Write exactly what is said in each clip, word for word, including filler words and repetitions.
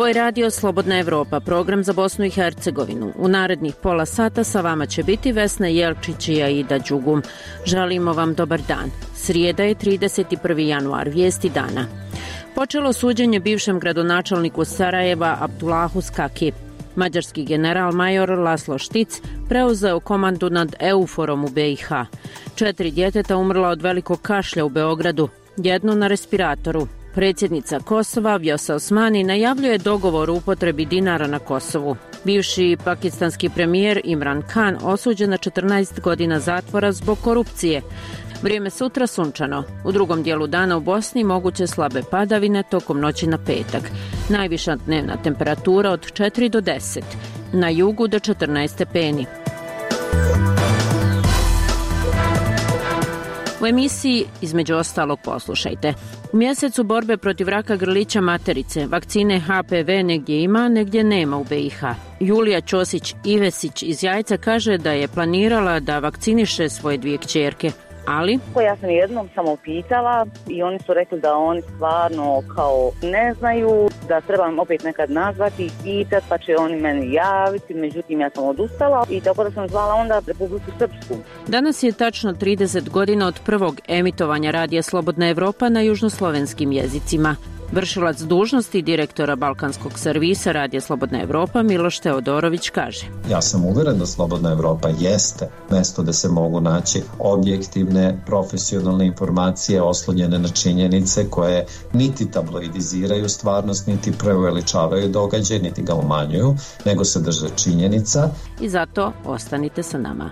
Ovo je Radio Slobodna Evropa, program za Bosnu i Hercegovinu. U narednih pola sata sa vama će biti Vesna Jelčić i Aida Đugum. Želimo vam dobar dan. Srijeda je trideset prvi januar, vijesti dana. Počelo suđenje bivšem gradonačelniku Sarajeva Abdulahu Skaki. Mađarski general major Laslo Štic preuzeo komandu nad Euforom u B i H. Četiri djeteta umrla od velikog kašlja u Beogradu, jedno na respiratoru. Predsjednica Kosova Vjosa Osmani najavljuje dogovor o upotrebi dinara na Kosovu. Bivši pakistanski premijer Imran Khan osuđen na četrnaest godina zatvora zbog korupcije. Vrijeme sutra sunčano. U drugom dijelu dana u Bosni moguće slabe padavine tokom noći na petak. Najviša dnevna temperatura od četiri do deset. Na jugu do četrnaest stepeni. U emisiji između ostalog poslušajte. U mjesecu borbe protiv raka grlića materice, vakcine H P V negdje ima, negdje nema u B i H. Julija Ćosić-Ivesić iz Jajca kaže da je planirala da vakciniše svoje dvije kćerke. Ali? Ja sam jednom samo pitala i oni su rekli da oni stvarno kao ne znaju, da trebam opet nekad nazvati i pitati, pa će oni meni javiti, međutim ja sam odustala i tako da sam zvala onda Republiku Srpsku. Danas je tačno trideset godina od prvog emitovanja Radija Slobodna Evropa na južnoslovenskim jezicima. Vršilac dužnosti direktora Balkanskog servisa Radija Slobodna Evropa Miloš Teodorović kaže: Ja sam uvjeren da Slobodna Evropa jeste mjesto da se mogu naći objektivne, profesionalne informacije oslonjene na činjenice koje niti tabloidiziraju stvarnost, niti preuveličavaju događaj, niti ga umanjuju, nego se drže činjenica. I zato ostanite sa nama.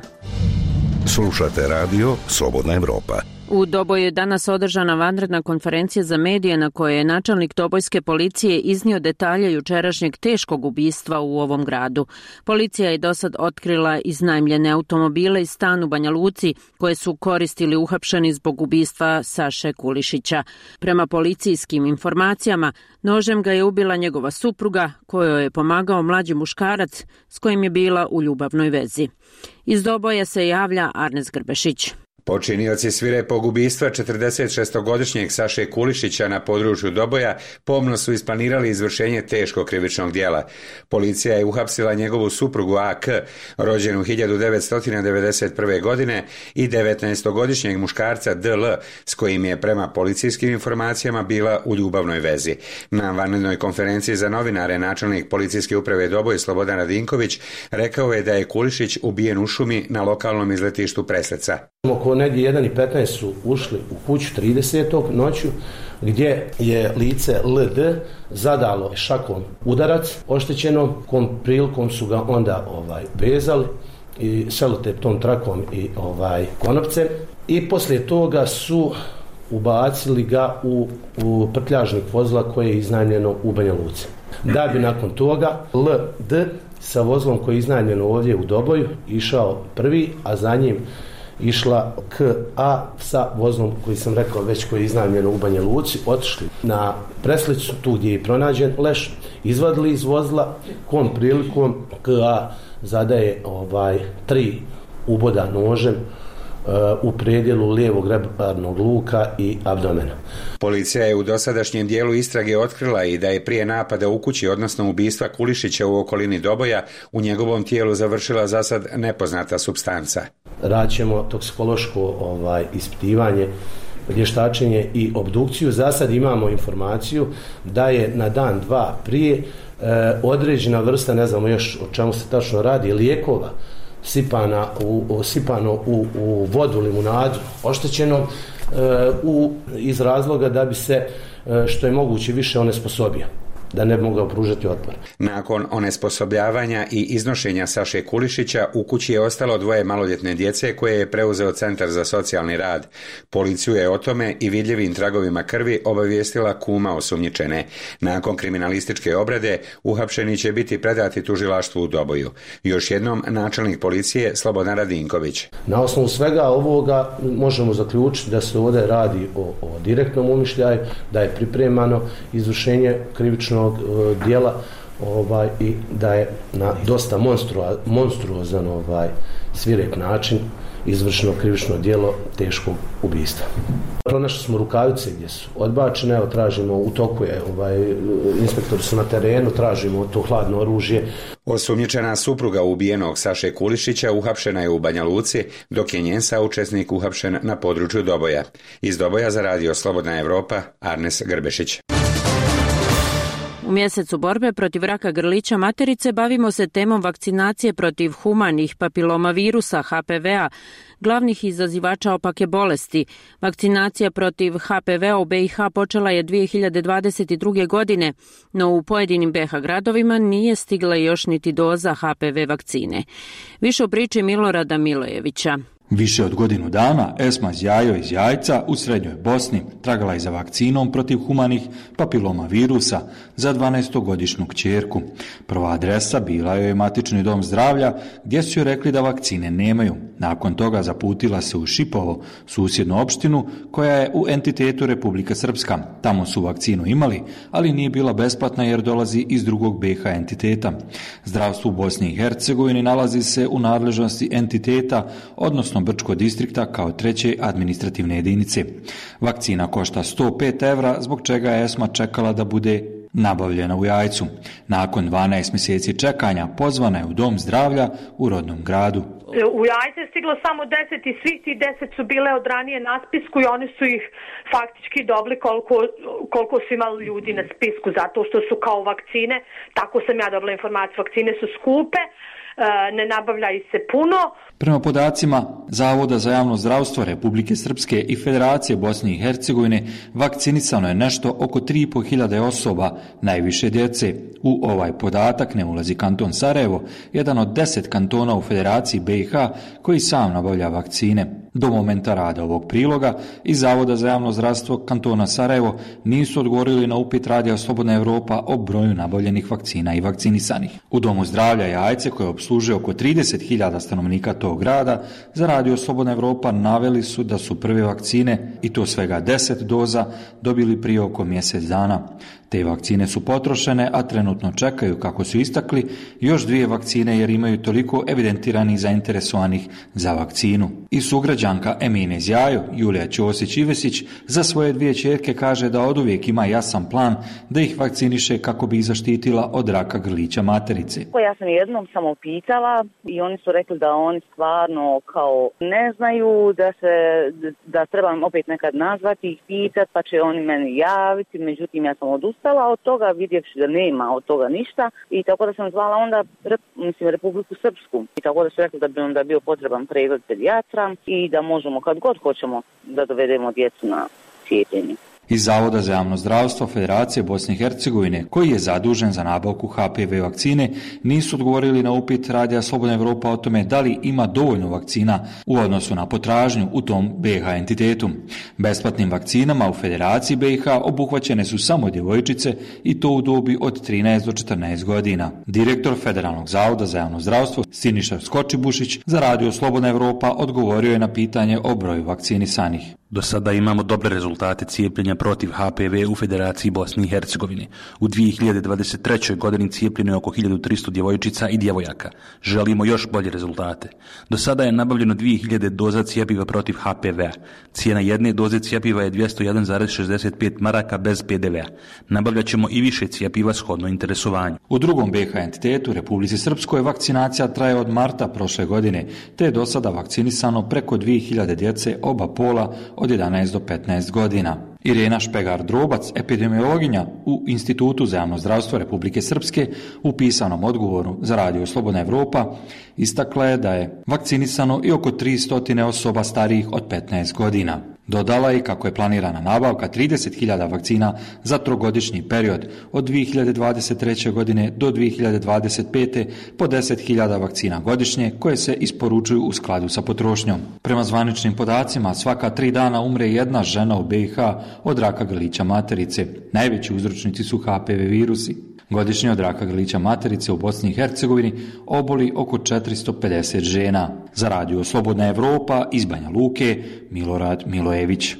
Slušate Radio Slobodna Evropa. U Doboju je danas održana vanredna konferencija za medije na kojoj je načelnik Dobojske policije iznio detalje jučerašnjeg teškog ubistva u ovom gradu. Policija je dosad otkrila iznajmljene automobile i stan u Banja Luci koje su koristili uhapšeni zbog ubistva Saše Kulišića. Prema policijskim informacijama, nožem ga je ubila njegova supruga kojoj je pomagao mlađi muškarac s kojim je bila u ljubavnoj vezi. Iz Doboja se javlja Arnes Grbešić. Počinioci svirepog ubistva četrdesetšestogodišnjeg Saše Kulišića na području Doboja pomno su isplanirali izvršenje teškog krivičnog djela. Policija je uhapsila njegovu suprugu A K, rođenu hiljadu devetsto devedeset prve. godine, i devetnaestogodišnjeg muškarca D L, s kojim je prema policijskim informacijama bila u ljubavnoj vezi. Na vanrednoj konferenciji za novinare načelnik policijske uprave Doboj Slobodan Radinković rekao je da je Kulišić ubijen u šumi na lokalnom izletištu Presleca. Oko negdje jedan i petnaest su ušli u kuću tridesetog noću gdje je lice L D zadalo šakom udarac oštećenom, kom prilikom su ga onda ovaj vezali i seloteptom trakom i ovaj konopcem i poslije toga su ubacili ga u, u prtljažnik vozila koje je iznajmljeno u Banja Luci. Da bi nakon toga L D sa vozilom koje je iznajmljeno ovdje u Doboju išao prvi, a za njim išla K A sa vozom koji sam rekao već koji je iznajmljeno u Banja Luci, otišli na Preslicu, tu gdje je pronađen leš, izvadili iz vozila, kom prilikom K A zadaje ovaj, tri uboda nožem uh, u predjelu lijevog rebarnog luka i abdomena. Policija je u dosadašnjem dijelu istrage otkrila i da je prije napada u kući, odnosno ubistva Kulišića u okolini Doboja, u njegovom tijelu završila zasad nepoznata supstanca. Radit ćemo toksikološko ovaj, ispitivanje, vještačenje i obdukciju. Za sad imamo informaciju da je na dan dva prije e, određena vrsta, ne znamo još o čemu se tačno radi, lijekova sipana u, sipano u, u vodu, limunadu oštećeno e, u, iz razloga da bi se e, što je moguće više onesposobio, da ne bi mogao pružati otpor. Nakon onesposobljavanja i iznošenja Saše Kulišića u kući je ostalo dvoje maloljetne djece koje je preuzeo Centar za socijalni rad. Policiju je o tome i vidljivim tragovima krvi obavijestila kuma osumnjičene. Nakon kriminalističke obrade uhapšeni će biti predati tužilaštvu u Doboju. Još jednom načelnik policije Slobodan Radinković. Na osnovu svega ovoga možemo zaključiti da se ovdje radi o, o direktnom umišljaju, da je pripremano izvršenje krivičnog dijela ovaj, i da je na dosta monstruo, monstruozan ovaj, svirep način izvršeno krivično djelo teškog ubistva. Pronašli smo rukavice gdje su odbačene, evo tražimo, u toku je, ovaj, inspektori su na terenu, tražimo to hladno oružje. Osumnjičena supruga ubijenog Saše Kulišića uhapšena je u Banja Luci, dok je njen saučesnik uhapšen na području Doboja. Iz Doboja za radio Slobodna Evropa, Arnes Grbešić. U mjesecu borbe protiv raka grlića materice bavimo se temom vakcinacije protiv humanih papilomavirusa H P V-a, glavnih izazivača opake bolesti. Vakcinacija protiv H P V-a u B i H počela je dvije hiljade dvadeset druge. godine, no u pojedinim B i H gradovima nije stigla još niti doza H P V vakcine. Više u priči Milorada Milojevića. Više od godinu dana Esma Zjajo iz Jajca u Srednjoj Bosni tragala je za vakcinom protiv humanih papiloma virusa za dvanaestogodišnju kćerku. Prva adresa bila joj je matični dom zdravlja gdje su joj rekli da vakcine nemaju. Nakon toga zaputila se u Šipovo, susjednu opštinu koja je u entitetu Republika Srpska. Tamo su vakcinu imali, ali nije bila besplatna jer dolazi iz drugog B i H entiteta. Zdravstvo u Bosni i Hercegovini nalazi se u nadležnosti entiteta, odnosno Brčko distrikta kao treće administrativne jedinice. Vakcina košta sto pet evra, zbog čega je Esma čekala da bude nabavljena u Jajcu. Nakon dvanaest mjeseci čekanja pozvana je u dom zdravlja u rodnom gradu. U Jajce je stiglo samo deset i svih tih deset su bile od ranije na spisku i oni su ih faktički dobili koliko, koliko su imali ljudi na spisku, zato što su kao vakcine, tako sam ja dobila informaciju, vakcine su skupe, ne nabavlja ih se puno. Prema podacima Zavoda za javno zdravstvo Republike Srpske i Federacije Bosne i Hercegovine vakcinisano je nešto oko tri i po hiljade osoba, najviše djece. U ovaj podatak ne ulazi kanton Sarajevo, jedan od deset kantona u Federaciji B i H koji sam nabavlja vakcine. Do momenta rada ovog priloga iz Zavoda za javno zdravstvo kantona Sarajevo nisu odgovorili na upit radija Slobodna Evropa o broju nabavljenih vakcina i vakcinisanih. U Domu zdravlja Jajce, koje obslužuje oko trideset hiljada stanovnika tog grada, za radio Slobodna Evropa naveli su da su prve vakcine, i to svega deset doza, dobili prije oko mjesec dana. Te vakcine su potrošene, a trenutno čekaju, kako su istakli, još dvije vakcine jer imaju toliko evidentiranih zainteresovanih za vakcinu. I sugrađanka Emine Zjajo, Julija Ćosić-Ivesić, za svoje dvije ćerke kaže da oduvijek ima jasan plan da ih vakciniše kako bi ih zaštitila od raka grlića materice. Ja sam jednom samo pitala i oni su rekli da oni stvarno kao ne znaju, da se da trebam opet nekad nazvati i pitati, pa će oni meni javiti, međutim ja sam odustala od toga, vidjevši da nema od toga ništa, i tako da sam zvala onda mislim, Republiku Srpsku, i tako da su rekli da bi onda bio potreban pregled pedijatra i da možemo kad god hoćemo da dovedemo djecu na cijepljenje. Iz Zavoda za javno zdravstvo Federacije Bosne i Hercegovine, koji je zadužen za nabavku H P V vakcine, nisu odgovorili na upit radija Slobodna Evropa o tome da li ima dovoljno vakcina u odnosu na potražnju u tom B i H entitetu. Besplatnim vakcinama u Federaciji B i H obuhvaćene su samo djevojčice i to u dobi od trinaest do četrnaest godina. Direktor Federalnog zavoda za javno zdravstvo Siniša Skočibušić za radio Slobodna Evropa odgovorio je na pitanje o broju vakcinisanih. Do sada imamo dobre rezultate cijepljenja protiv H P V u Federaciji Bosne i Hercegovine. U dvije hiljade dvadeset trećoj. godini cijepljeno je oko hiljadu tristo djevojčica i djevojaka. Želimo još bolje rezultate. Do sada je nabavljeno dvije hiljade doza cijepiva protiv H P V-a. Cijena jedne doze cijepiva je dvjesto jedan zarez šezdeset pet maraka bez P D V-a. Nabavljat ćemo i više cijepiva shodno interesovanju. U drugom B i H entitetu, Republici Srpskoj, vakcinacija traje od marta prošle godine, te je do sada vakcinisano preko dvije hiljade djece oba pola od jedanaest do petnaest godina. Irena Špegar-Drobac, epidemiologinja u Institutu za javno zdravstvo Republike Srpske, u pisanom odgovoru za radio Slobodna Evropa, istakla je da je vakcinisano i oko tristo osoba starijih od petnaest godina. Dodala je kako je planirana nabavka trideset hiljada vakcina za trogodišnji period od dvije hiljade dvadeset treće. godine do dvije hiljade dvadeset pete. po deset hiljada vakcina godišnje koje se isporučuju u skladu sa potrošnjom. Prema zvaničnim podacima, svaka tri dana umre jedna žena u B i H od raka grlića materice. Najveći uzročnici su H P V virusi. Godišnje od raka grlića materice u Bosni i Hercegovini oboli oko četiristo pedeset žena. Za radio Slobodna Evropa iz Banja Luke, Milorad Milojević.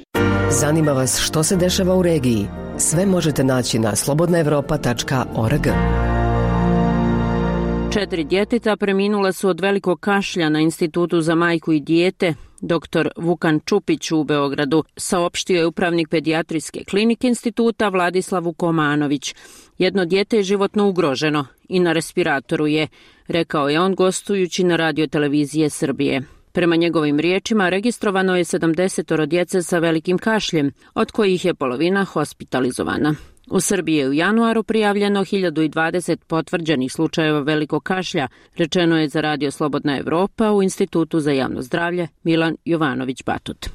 Zanima vas što se dešava u regiji? Sve možete naći na slobodna evropa tačka org. Četiri djeteta preminula su od velikog kašlja na Institutu za majku i dijete. Doktor Vukan Čupić u Beogradu saopštio je upravnik pedijatrijske klinike instituta Vladislav Vukomanović. Jedno dijete je životno ugroženo i na respiratoru je, rekao je on gostujući na radiotelevizije Srbije. Prema njegovim riječima registrovano je sedamdeset djece sa velikim kašljem, od kojih je polovina hospitalizovana. U Srbiji je u januaru prijavljeno hiljadu dvadeset potvrđenih slučajeva velikog kašlja, rečeno je za Radio Slobodna Evropa u Institutu za javno zdravlje Milan Jovanović Batut.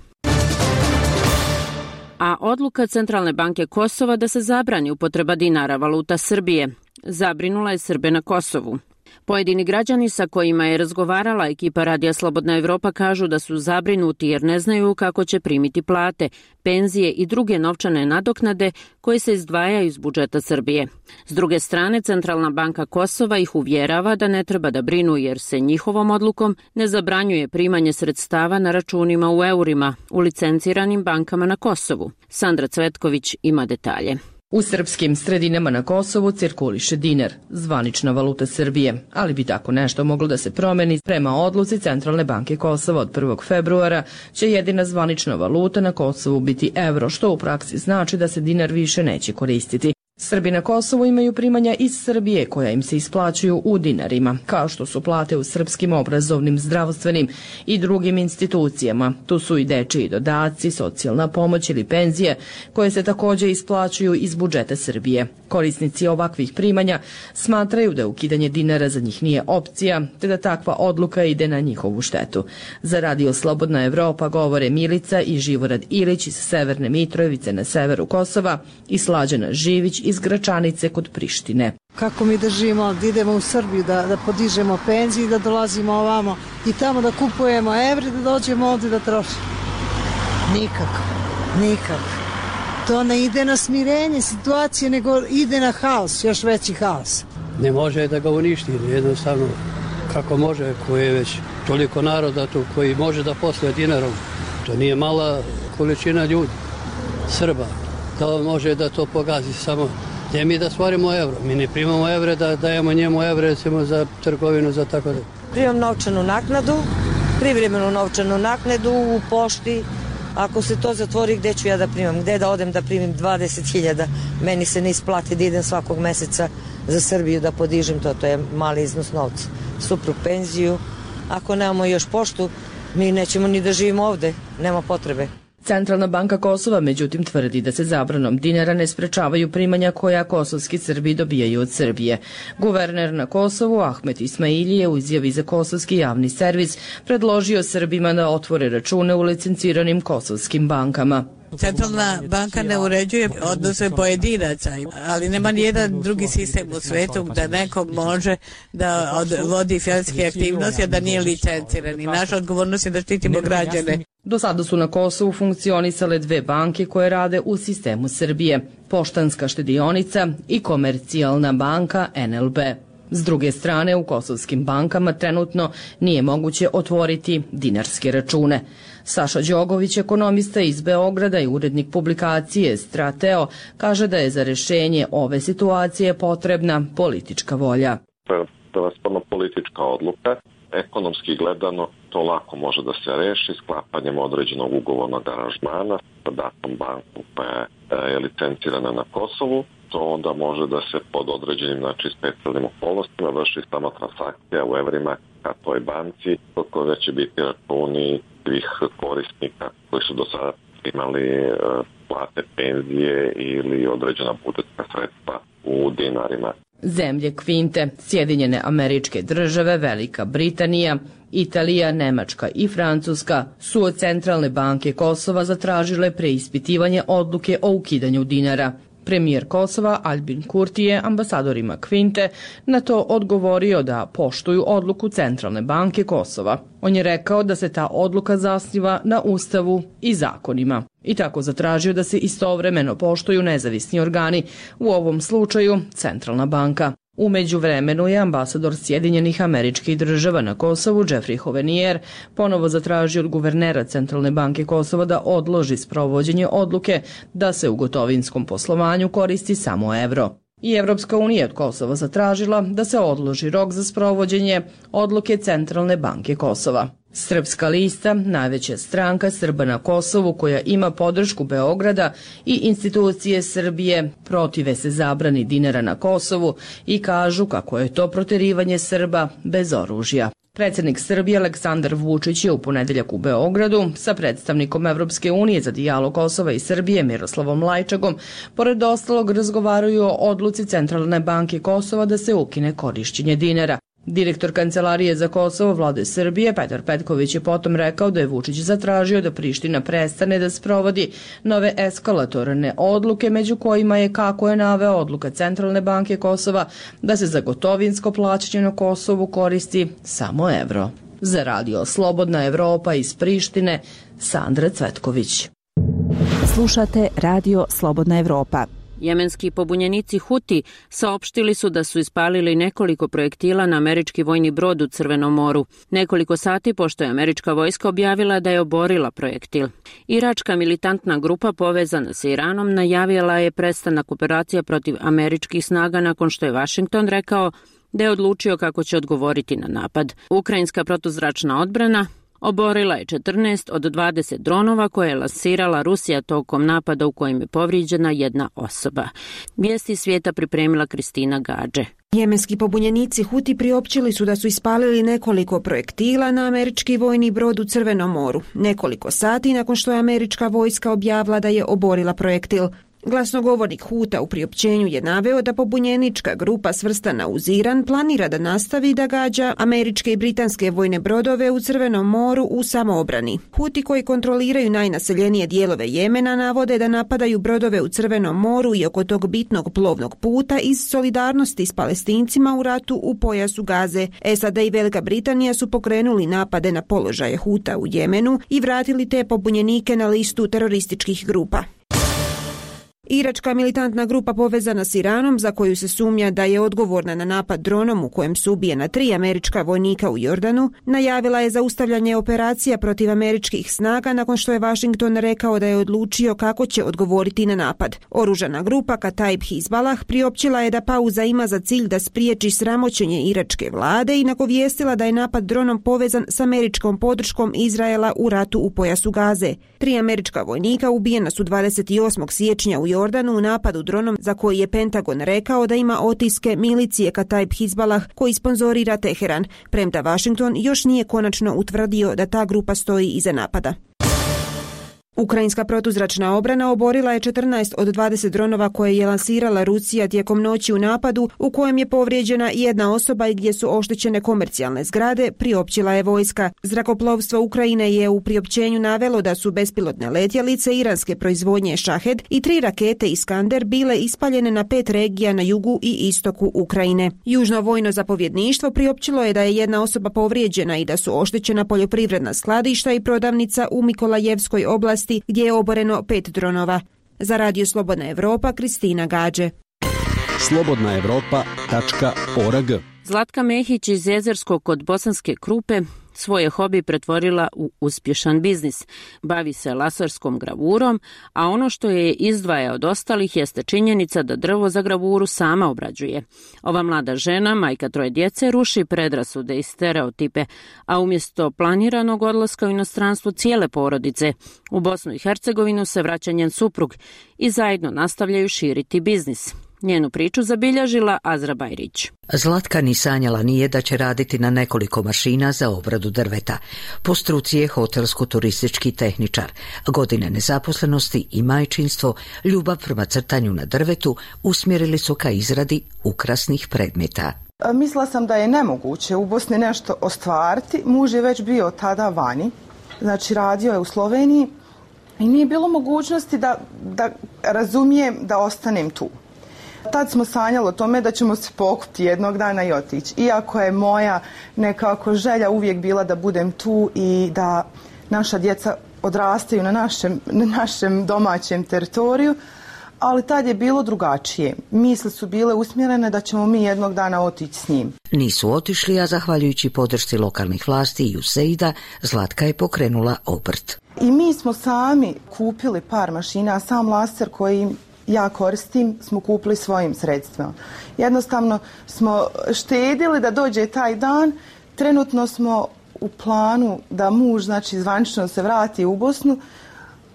A odluka Centralne banke Kosova da se zabrani upotreba dinara, valuta Srbije, zabrinula je Srbe na Kosovu. Pojedini građani sa kojima je razgovarala ekipa Radija Slobodna Evropa kažu da su zabrinuti jer ne znaju kako će primiti plate, penzije i druge novčane nadoknade koje se izdvajaju iz budžeta Srbije. S druge strane, Centralna banka Kosova ih uvjerava da ne treba da brinu jer se njihovom odlukom ne zabranjuje primanje sredstava na računima u eurima u licenciranim bankama na Kosovu. Sandra Cvetković ima detalje. U srpskim sredinama na Kosovu cirkuliše dinar, zvanična valuta Srbije, ali bi tako nešto moglo da se promeni. Prema odluci Centralne banke Kosova od prvog februara će jedina zvanična valuta na Kosovu biti evro, što u praksi znači da se dinar više neće koristiti. Srbi na Kosovu imaju primanja iz Srbije koja im se isplaćuju u dinarima, kao što su plate u srpskim obrazovnim, zdravstvenim i drugim institucijama. Tu su i dečiji dodaci, socijalna pomoć ili penzije koje se također isplaćuju iz budžeta Srbije. Korisnici ovakvih primanja smatraju da ukidanje dinara za njih nije opcija, te da takva odluka ide na njihovu štetu. Za Radio Slobodna Evropa govore Milica i Živorad Ilić iz Severne Mitrovice na severu Kosova i Slađana Živić iz Gračanice kod Prištine. Kako mi držimo, da idemo u Srbiju, da, da podižemo penzije i da dolazimo ovamo i tamo da kupujemo evre, da dođemo ovdje da trošimo. Nikako, nikako. To ne ide na smirenje situacije, nego ide na haos, još veći haos. Ne može da ga uništi, jednostavno kako može, koji je već toliko naroda tu, koji može da posluje dinarom. To nije mala količina ljudi, Srba. Da on može da to pogazi samo. Ne mi da stvorimo evro, mi ne primamo evre da dajemo njemu evre recimo za trgovinu, za tako da. Primam novčanu naknadu, privremenu novčanu naknadu u pošti. Ako se to zatvori, gde ću ja da primam? Gde da odem da primim dvadeset hiljada? Meni se ne isplati da idem svakog meseca za Srbiju da podižem to, to je mali iznos novca. Suprug penziju, ako nemamo još poštu, mi nećemo ni da živimo ovde, nema potrebe. Centralna banka Kosova međutim tvrdi da se zabranom dinara ne sprečavaju primanja koja kosovski Srbi dobijaju od Srbije. Guverner na Kosovu Ahmet Ismaili je u izjavi za kosovski javni servis predložio Srbima da otvore račune u licenciranim kosovskim bankama. Centralna banka ne uređuje odnose pojedinaca, ali nema nijedan drugi sistem u svetu da neko može da vodi financijske aktivnosti, a da nije licenciran. I naša odgovornost je da štitimo građane. Do sada su na Kosovu funkcionisale dve banke koje rade u sistemu Srbije, Poštanska štedionica i Komercijalna banka N L B. S druge strane, u kosovskim bankama trenutno nije moguće otvoriti dinarske račune. Saša Đogović, ekonomista iz Beograda i urednik publikacije Strateo, kaže da je za rešenje ove situacije potrebna politička volja. To je prevashodno politička odluka. Ekonomski gledano to lako može da se reši sklapanjem određenog ugovornog aranžmana sa datom banku koja je licencirana na Kosovu. To onda može da se pod određenim, znači, specijalnim okolnostima vrši samo transakcija u evrima ka toj banci, koja će biti računi svih korisnika koji su do sada imali plate, penzije ili određena budžetska sredstva u dinarima. Zemlje Kvinte, Sjedinjene Američke Države, Velika Britanija, Italija, Nemačka i Francuska su od Centralne banke Kosova zatražile preispitivanje odluke o ukidanju dinara. Premijer Kosova Albin Kurti je ambasadorima Kvinte na to odgovorio da poštuju odluku Centralne banke Kosova. On je rekao da se ta odluka zasniva na Ustavu i zakonima. I tako zatražio da se istovremeno poštuju nezavisni organi, u ovom slučaju Centralna banka. U međuvremenu je ambasador Sjedinjenih Američkih Država na Kosovu Jeffrey Hovenier ponovo zatražio od guvernera Centralne banke Kosova da odloži sprovođenje odluke da se u gotovinskom poslovanju koristi samo evro. I Evropska unija od Kosova zatražila da se odloži rok za sprovođenje odluke Centralne banke Kosova. Srpska lista, najveća stranka Srba na Kosovu koja ima podršku Beograda i institucije Srbije, protive se zabrani dinara na Kosovu i kažu kako je to proterivanje Srba bez oružja. Predsjednik Srbije Aleksandar Vučić je u ponedeljak u Beogradu sa predstavnikom Evropske unije za dijalog Kosova i Srbije Miroslavom Lajčagom pored ostalog razgovaraju o odluci Centralne banke Kosova da se ukine korišćenje dinara. Direktor Kancelarije za Kosovo Vlade Srbije Petar Petković je potom rekao da je Vučić zatražio da Priština prestane da sprovodi nove eskalatorne odluke, među kojima je, kako je naveo, odluka Centralne banke Kosova da se za gotovinsko plaćanje na Kosovu koristi samo evro. Za radio Slobodna Evropa iz Prištine, Sandra Cvetković. Slušate radio Slobodna Evropa. Jemenski pobunjenici Huti saopštili su da su ispalili nekoliko projektila na američki vojni brod u Crvenom moru. Nekoliko sati pošto je američka vojska objavila da je oborila projektil. Iračka militantna grupa povezana sa Iranom najavila je prestanak operacija protiv američkih snaga nakon što je Vašington rekao da je odlučio kako će odgovoriti na napad. Ukrajinska protuzračna odbrana oborila je četrnaest od dvadeset dronova koje je lansirala Rusija tokom napada u kojem je povrijeđena jedna osoba. Vijesti svijeta pripremila Kristina Gađe. Jemenski pobunjenici Huti priopćili su da su ispalili nekoliko projektila na američki vojni brod u Crvenom moru, nekoliko sati nakon što je američka vojska objavila da je oborila projektil. Glasnogovornik Huta u priopćenju je naveo da pobunjenička grupa svrstana uz Iran planira da nastavi da gađa američke i britanske vojne brodove u Crvenom moru u samoobrani. Huti koji kontroliraju najnaseljenije dijelove Jemena navode da napadaju brodove u Crvenom moru i oko tog bitnog plovnog puta iz solidarnosti s Palestincima u ratu u pojasu Gaze. S A D i Velika Britanija su pokrenuli napade na položaje Huta u Jemenu i vratili te pobunjenike na listu terorističkih grupa. Iračka militantna grupa povezana s Iranom, za koju se sumnja da je odgovorna na napad dronom u kojem su ubijena tri američka vojnika u Jordanu, najavila je zaustavljanje operacija protiv američkih snaga nakon što je Washington rekao da je odlučio kako će odgovoriti na napad. Oružana grupa Kataib Hizbalah priopćila je da pauza ima za cilj da spriječi sramoćenje iračke vlade i nagovijestila da je napad dronom povezan s američkom podrškom Izraela u ratu u pojasu Gaze. Tri američka vojnika ubijena su dvadeset osmog siječnja u Jordanu u napadu dronom za koji je Pentagon rekao da ima otiske milicije Kataib Hizbalah koji sponzorira Teheran, premda Washington još nije konačno utvrdio da ta grupa stoji iza napada. Ukrajinska protuzračna obrana oborila je četrnaest od dvadeset dronova koje je lansirala Rusija tijekom noći u napadu u kojem je povrijeđena jedna osoba i gdje su oštećene komercijalne zgrade, priopćila je vojska. Zrakoplovstvo Ukrajine je u priopćenju navelo da su bespilotne letjelice iranske proizvodnje Shahed i tri rakete Iskander bile ispaljene na pet regija na jugu i istoku Ukrajine. Južno vojno zapovjedništvo priopćilo je da je jedna osoba povrijeđena i da su oštećena poljoprivredna skladišta i prodavnica u Mikolajevskoj oblasti gdje je oboreno pet dronova. Za radio Slobodna Evropa, Kristina Gađe. slobodna evropa tačka org. Zlatka Mehić iz Jezerskog kod Bosanske Krupe svoje hobi pretvorila u uspješan biznis. Bavi se laserskom gravurom, a ono što je izdvaja od ostalih jeste činjenica da drvo za gravuru sama obrađuje. Ova mlada žena, majka troje djece, ruši predrasude i stereotipe, a umjesto planiranog odlaska u inostranstvo cijele porodice, u Bosnu i Hercegovinu se vraća njen suprug i zajedno nastavljaju širiti biznis. Njenu priču zabilježila Azra Bajrić. Zlatka ni sanjala nije da će raditi na nekoliko mašina za obradu drveta. Po struci je hotelsko-turistički tehničar. Godine nezaposlenosti i majčinstvo, ljubav prema crtanju na drvetu usmjerili su ka izradi ukrasnih predmeta. Mislila sam da je nemoguće u Bosni nešto ostvariti. Muž je već bio tada vani, znači radio je u Sloveniji i nije bilo mogućnosti da, da razumijem da ostanem tu. Tad smo sanjali o tome da ćemo se pokupiti jednog dana i otići. Iako je moja nekako želja uvijek bila da budem tu i da naša djeca odrastaju na našem, na našem domaćem teritoriju, ali tad je bilo drugačije. Misli su bile usmjerene da ćemo mi jednog dana otići s njim. Nisu otišli, a zahvaljujući podršci lokalnih vlasti i U S A I D-a, Zlatka je pokrenula obrt. I mi smo sami kupili par mašina, sam laser koji ja koristim smo kupili svojim sredstvima. Jednostavno smo štedili da dođe taj dan. Trenutno smo u planu da muž, znači zvanično se vrati u Bosnu.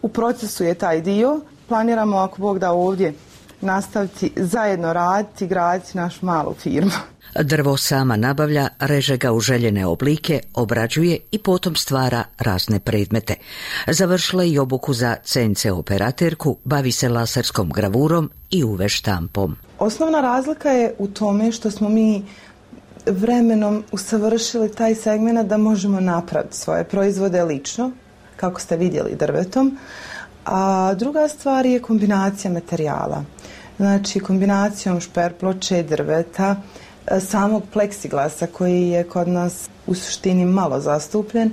U procesu je taj dio. Planiramo, ako Bog da, ovdje nastaviti zajedno raditi, graditi našu malu firmu. Drvo sama nabavlja, reže ga u željene oblike, obrađuje i potom stvara razne predmete. Završila i obuku za C N C operaterku, bavi se laserskom gravurom i U V štampom. Osnovna razlika je u tome što smo mi vremenom usavršili taj segment da možemo napraviti svoje proizvode lično, kako ste vidjeli drvetom. A druga stvar je kombinacija materijala. Znači kombinacijom šperploče, drveta, samog pleksiglasa koji je kod nas u suštini malo zastupljen.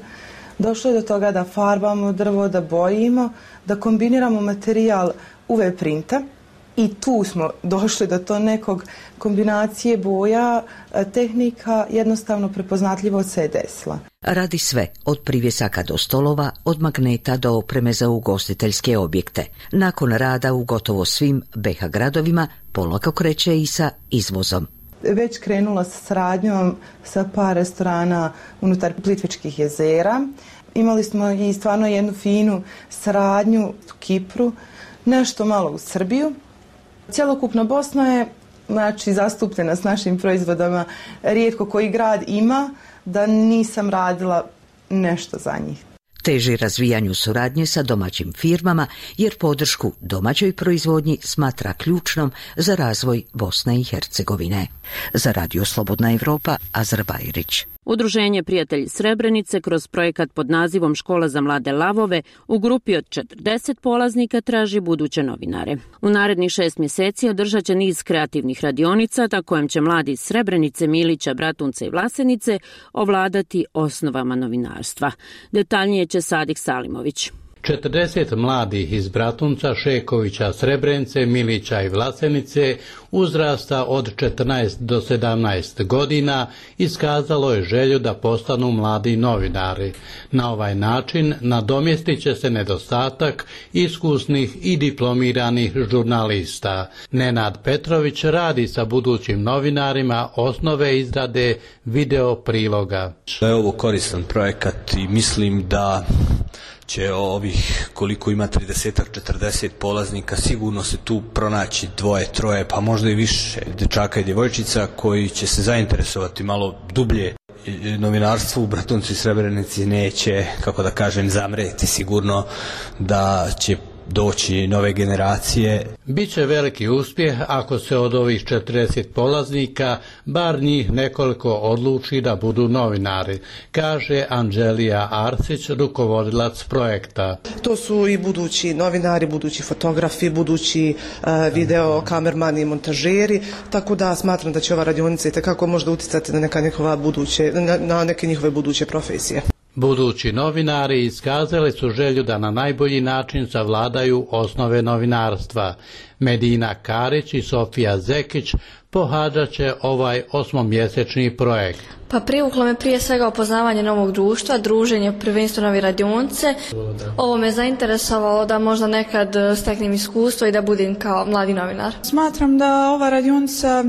Došlo je do toga da farbamo drvo, da bojimo, da kombiniramo materijal U V printa i tu smo došli do to nekog kombinacije boja, tehnika jednostavno prepoznatljivo se je desila. Radi sve, od privjesaka do stolova, od magneta do opreme za ugostiteljske objekte. Nakon rada u gotovo svim B iH gradovima, polako kreće i sa izvozom. Već krenula sa saradnjom sa par restorana unutar Plitvičkih jezera. Imali smo i stvarno jednu finu saradnju u Kipru, nešto malo u Srbiju. Cjelokupna Bosna je, znači, zastupljena s našim proizvodama. Rijetko koji grad ima da nisam radila nešto za njih. Teži razvijanju suradnje sa domaćim firmama jer podršku domaćoj proizvodnji smatra ključnom za razvoj Bosne i Hercegovine. Za Radio Slobodna Evropa, Azra Bajrić. Udruženje Prijatelji Srebrenice kroz projekat pod nazivom Škola za mlade lavove u grupi od četrdeset polaznika traži buduće novinare. U narednih šest mjeseci održat će niz kreativnih radionica na kojem će mladi iz Srebrenice, Milića, Bratunca i Vlasenice ovladati osnovama novinarstva. Detaljnije će Sadik Salimović. četrdeset mladih iz Bratunca, Šekovića, Srebrenice, Milića i Vlasenice uzrasta od četrnaest do sedamnaest godina iskazalo je želju da postanu mladi novinari. Na ovaj način nadomjestit će se nedostatak iskusnih i diplomiranih žurnalista. Nenad Petrović radi sa budućim novinarima osnove izrade video priloga. Je ovo koristan projekat i mislim da će ovih, koliko ima trideset četrdeset polaznika, sigurno se tu pronaći dvoje, troje, pa možda i više dečaka i djevojčica koji će se zainteresovati malo dublje. Novinarstvo u Bratuncu i Srebrenici neće, kako da kažem, zamreti, sigurno da će doći nove generacije. Biće veliki uspjeh ako se od ovih četrdeset polaznika bar njih nekoliko odluči da budu novinari, kaže Anđelija Arsić, rukovodilac projekta. To su i budući novinari, budući fotografi, budući uh, video kamermani i montažeri, tako da smatram da će ova radionica itekako možda utjecati na neka njihova buduće, na, na neke njihove buduće profesije. Budući novinari iskazali su želju da na najbolji način savladaju osnove novinarstva. Medina Karić i Sofija Zekić pohađat će ovaj osmomjesečni projekt. Pa privuklo me prije svega upoznavanje novog društva, druženje prvenstveno nove radionice. Ovo me zainteresovalo da možda nekad steknem iskustvo i da budem kao mladi novinar. Smatram da ova radionica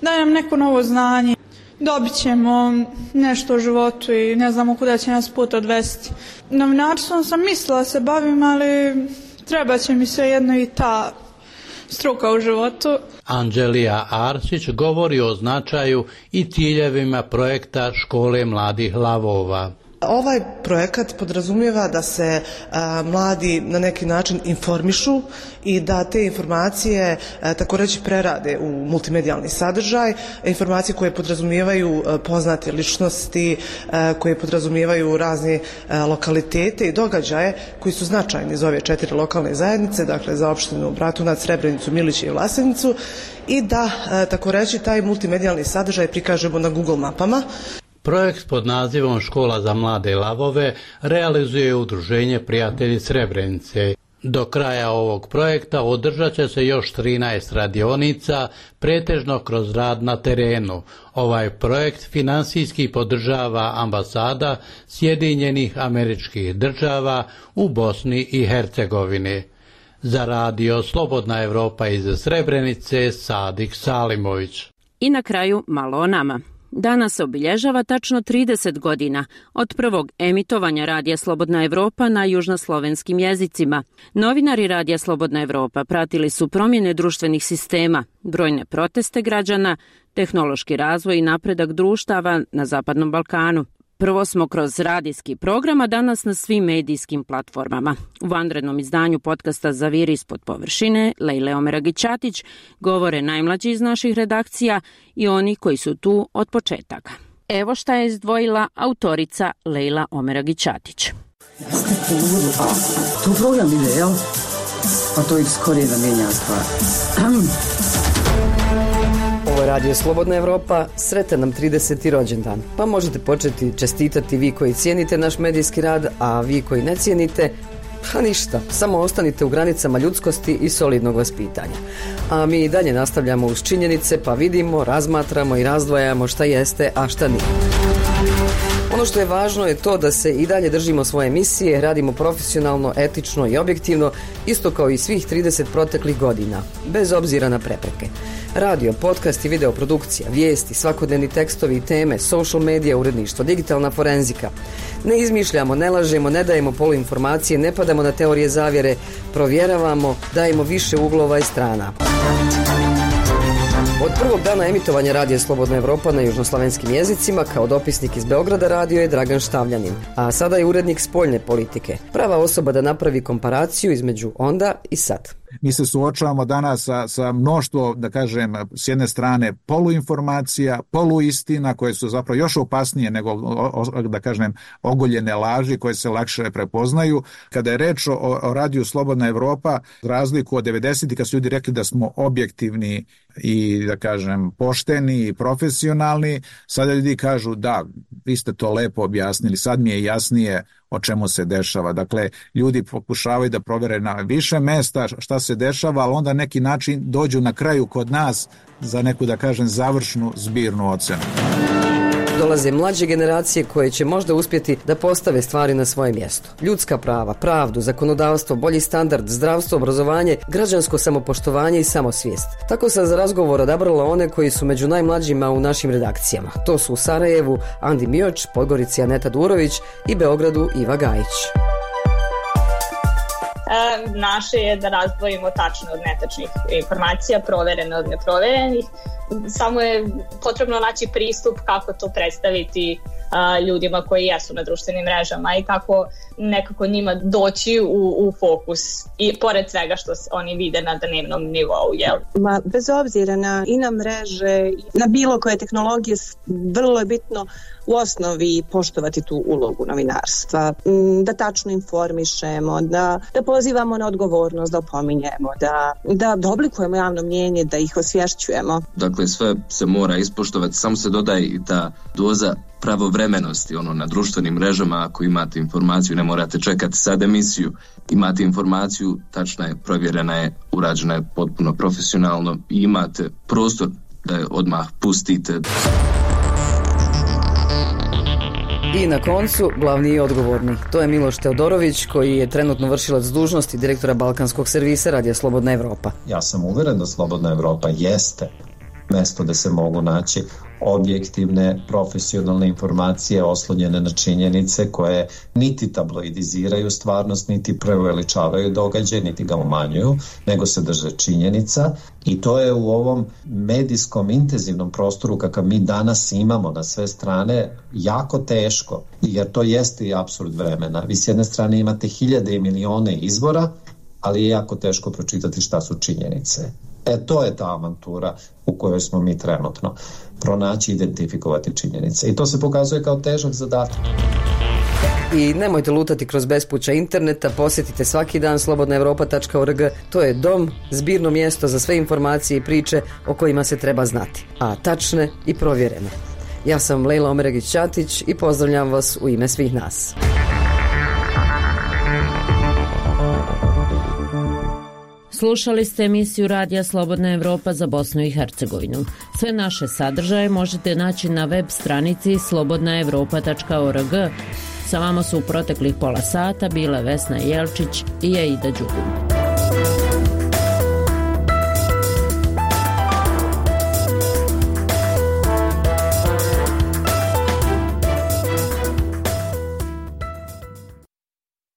daje nam neko novo znanje. Dobit ćemo nešto u životu i ne znamo kuda će nas put odvesti. Novinarstvom sam mislila da se bavim, ali treba će mi sve jedno i ta struka u životu. Anđelija Arsić govori o značaju i ciljevima projekta Škole mladih lavova. Ovaj projekat podrazumijeva da se a, mladi na neki način informišu i da te informacije a, tako reći prerade u multimedijalni sadržaj, informacije koje podrazumijevaju a, poznate ličnosti, a, koje podrazumijevaju razne a, lokalitete i događaje koji su značajni za ove četiri lokalne zajednice, dakle za opštinu Bratunac, Srebrenicu, Miliće i Vlasenicu, i da a, tako reći taj multimedijalni sadržaj prikažemo na Google mapama. Projekt pod nazivom Škola za mlade lavove realizuje Udruženje Prijatelji Srebrenice. Do kraja ovog projekta održat će se još trinaest radionica, pretežno kroz rad na terenu. Ovaj projekt finansijski podržava ambasada Sjedinjenih Američkih Država u Bosni i Hercegovini. Za radio Slobodna Evropa iz Srebrenice, Sadik Salimović. I na kraju malo o nama. Danas se obilježava tačno trideset godina od prvog emitovanja Radija Slobodna Evropa na južnoslovenskim jezicima. Novinari Radija Slobodna Evropa pratili su promjene društvenih sistema, brojne proteste građana, tehnološki razvoj i napredak društava na Zapadnom Balkanu. Prvo smo kroz radijski program, a danas na svim medijskim platformama. U vanrednom izdanju podcasta Zaviri ispod površine, Lejle Omeragić-Ćatić, govore najmlađi iz naših redakcija i oni koji su tu od početaka. Evo šta je izdvojila autorica Lejla Omeragić-Ćatić. Jeste tu, a tu program ide, jel? Pa to ih skorije da mijenja stvar. Ovo je Radio Slobodna Evropa, sretan nam trideseti rođendan. Pa možete početi čestitati vi koji cijenite naš medijski rad, a vi koji ne cijenite, pa ništa, samo ostanite u granicama ljudskosti i solidnog vaspitanja. A mi i dalje nastavljamo uz činjenice, pa vidimo, razmatramo i razdvajamo šta jeste, a šta nije. Ono što je važno je to da se i dalje držimo svoje misije, radimo profesionalno, etično i objektivno, isto kao i svih trideset proteklih godina, bez obzira na prepreke. Radio, podcast i videoprodukcija, vijesti, svakodnevni tekstovi i teme, social media, uredništvo, digitalna forenzika. Ne izmišljamo, ne lažemo, ne dajemo poluinformacije, ne padamo na teorije zavjere, provjeravamo, dajemo više uglova i strana. Od prvog dana emitovanja Radija Slobodna Evropa na južnoslavenskim jezicima, kao dopisnik iz Beograda radio je Dragan Štavljanin, a sada je urednik spoljne politike. Prava osoba da napravi komparaciju između onda i sad. Mi se suočavamo danas sa, sa mnoštvo, da kažem, s jedne strane poluinformacija, poluistina koje su zapravo još opasnije nego, da kažem, ogoljene laži koje se lakše prepoznaju. Kada je reč o, o Radiju Slobodna Evropa, razliku od devedesetih kad su ljudi rekli da smo objektivni i, da kažem, pošteni i profesionalni, sada ljudi kažu da, vi ste to lepo objasnili, sad mi je jasnije o čemu se dešava. Dakle, ljudi pokušavaju da provere na više mesta šta se dešava, ali onda neki način dođu na kraju kod nas za neku, da kažem, završnu zbirnu ocenu. Dolaze mlađe generacije koje će možda uspjeti da postave stvari na svoje mjesto. Ljudska prava, pravdu, zakonodavstvo, bolji standard, zdravstvo, obrazovanje, građansko samopoštovanje i samosvijest. Tako sam za razgovor odabrala one koji su među najmlađima u našim redakcijama. To su u Sarajevu Andi Mioč, Podgorici Aneta Durović i Beogradu Iva Gajić. E, naše je da razdvojimo tačne od netačnih informacija, proverene od neproverenih. Samo je potrebno naći pristup kako to predstaviti a, ljudima koji jesu na društvenim mrežama i kako nekako njima doći u, u fokus i pored svega što oni vide na dnevnom nivou. Jel? Ma, bez obzira na i na mreže, na bilo koje tehnologije, vrlo je bitno u osnovi poštovati tu ulogu novinarstva, da tačno informišemo, da, da pozivamo na odgovornost, da opominjemo, da, da, da oblikujemo javno mnjenje, da ih osvješćujemo. Dakle, sve se mora ispoštovati, samo se dodaje i ta doza pravovremenosti, ono, na društvenim mrežama, ako imate informaciju, ne morate čekati sad emisiju, imate informaciju, tačna je, provjerena je, urađena je potpuno profesionalno i imate prostor da je odmah pustite. I na koncu, glavni i odgovorni. To je Miloš Teodorović, koji je trenutno vršilac dužnosti direktora Balkanskog servisa Radija Slobodna Evropa. Ja sam uveren da Slobodna Evropa jeste mesto da se mogu naći objektivne, profesionalne informacije oslonjene na činjenice koje niti tabloidiziraju stvarnost, niti preuveličavaju događaj, niti ga umanjuju, nego se drže činjenica i to je u ovom medijskom intenzivnom prostoru kakav mi danas imamo na sve strane jako teško, jer to jeste i apsurd vremena. Vi s jedne strane imate hiljade i milione izvora, ali je jako teško pročitati šta su činjenice. E, to je ta avantura u kojoj smo mi trenutno. Pronaći, identifikovati činjenice. I to se pokazuje kao težak zadatak. I nemojte lutati kroz bespuća interneta, posjetite svaki dan slobodna evropa tačka org. To je dom, zbirno mjesto za sve informacije i priče o kojima se treba znati, a tačne i provjerene. Ja sam Lejla Omeragić-Ćatić i pozdravljam vas u ime svih nas. Slušali ste emisiju Radija Slobodna Evropa za Bosnu i Hercegovinu. Sve naše sadržaje možete naći na web stranici slobodna evropa tačka org. Sa vama su u proteklih pola sata bile Vesna Jelčić i Aida Đugum. Thank you.